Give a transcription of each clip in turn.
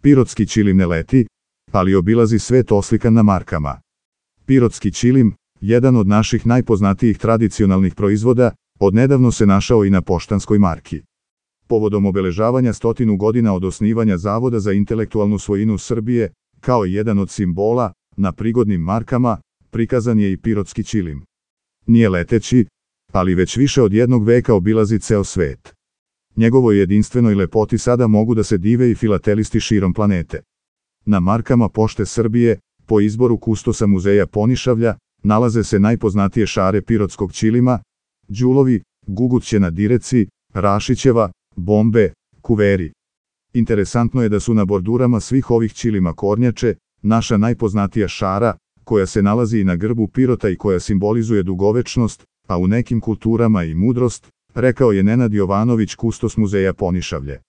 Pirotski ćilim ne leti, ali obilazi svet oslikan na markama. Pirotski ćilim, jedan od naših najpoznatijih tradicionalnih proizvoda, odnedavno se našao i na poštanskoj marki. Povodom obeležavanja 100 godina od osnivanja Zavoda za intelektualnu svojinu Srbije, kao jedan od simbola, na prigodnim markama, prikazan je i pirotski ćilim. Nije leteći, ali već više od jednog veka obilazi ceo svet. Njegovoj jedinstvenoj lepoti sada mogu da se dive i filatelisti širom planete. Na markama Pošte Srbije, po izboru kustosa muzeja Ponišavlja, nalaze se najpoznatije šare pirotskog ćilima, đulovi, guguće na direci, Rašićeva, bombe, kuveri. Interesantno je da su na bordurama svih ovih ćilima kornjače, naša najpoznatija šara, koja se nalazi i na grbu Pirota i koja simbolizuje dugovečnost, a u nekim kulturama i mudrost, rekao je Nenad Jovanović, kustos muzeja Ponišavlje.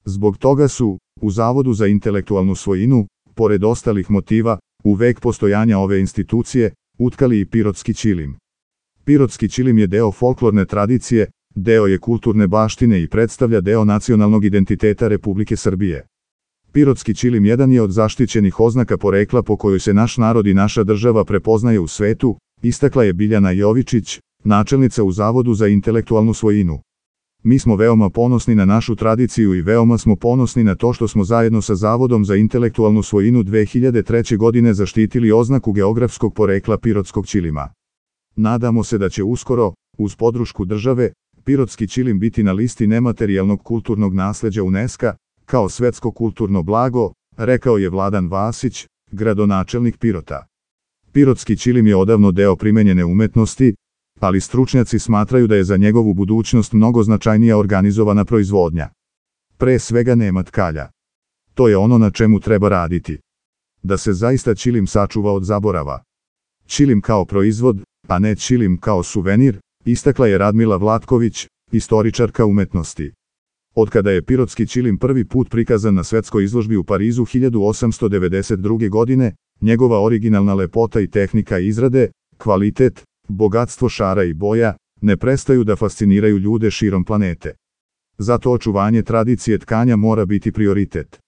Zbog toga su, u Zavodu za intelektualnu svojinu, pored ostalih motiva, u vek postojanja ove institucije, utkali i pirotski ćilim. Pirotski ćilim je deo folklorne tradicije, deo je kulturne baštine i predstavlja deo nacionalnog identiteta Republike Srbije. Pirotski ćilim jedan je od zaštićenih oznaka porekla po kojoj se naš narod i naša država prepoznaje u svetu, istakla je Biljana Jovičić, načelnica u Zavodu za intelektualnu svojinu. Mi smo veoma ponosni na našu tradiciju i veoma smo ponosni na to što smo zajedno sa Zavodom za intelektualnu svojinu 2003. godine zaštitili oznaku geografskog porekla pirotskog ćilima. Nadamo se da će uskoro, uz podršku države, pirotski ćilim biti na listi nematerijalnog kulturnog nasleđa UNESCO-a, kao svetsko kulturno blago, rekao je Vladan Vasić, gradonačelnik Pirota. Pirotski ćilim je odavno deo primenjene umetnosti, ali stručnjaci smatraju da je za njegovu budućnost mnogo značajnija organizovana proizvodnja. Pre svega nema tkalja. To je ono na čemu treba raditi. Da se zaista ćilim sačuva od zaborava. Ćilim kao proizvod, a ne ćilim kao suvenir, istakla je Radmila Vlatković, istoričarka umetnosti. Otkada je pirotski ćilim prvi put prikazan na svetskoj izložbi u Parizu 1892. godine, njegova originalna lepota i tehnika izrade, kvalitet, bogatstvo šara i boja, ne prestaju da fasciniraju ljude širom planete. Zato očuvanje tradicije tkanja mora biti prioritet.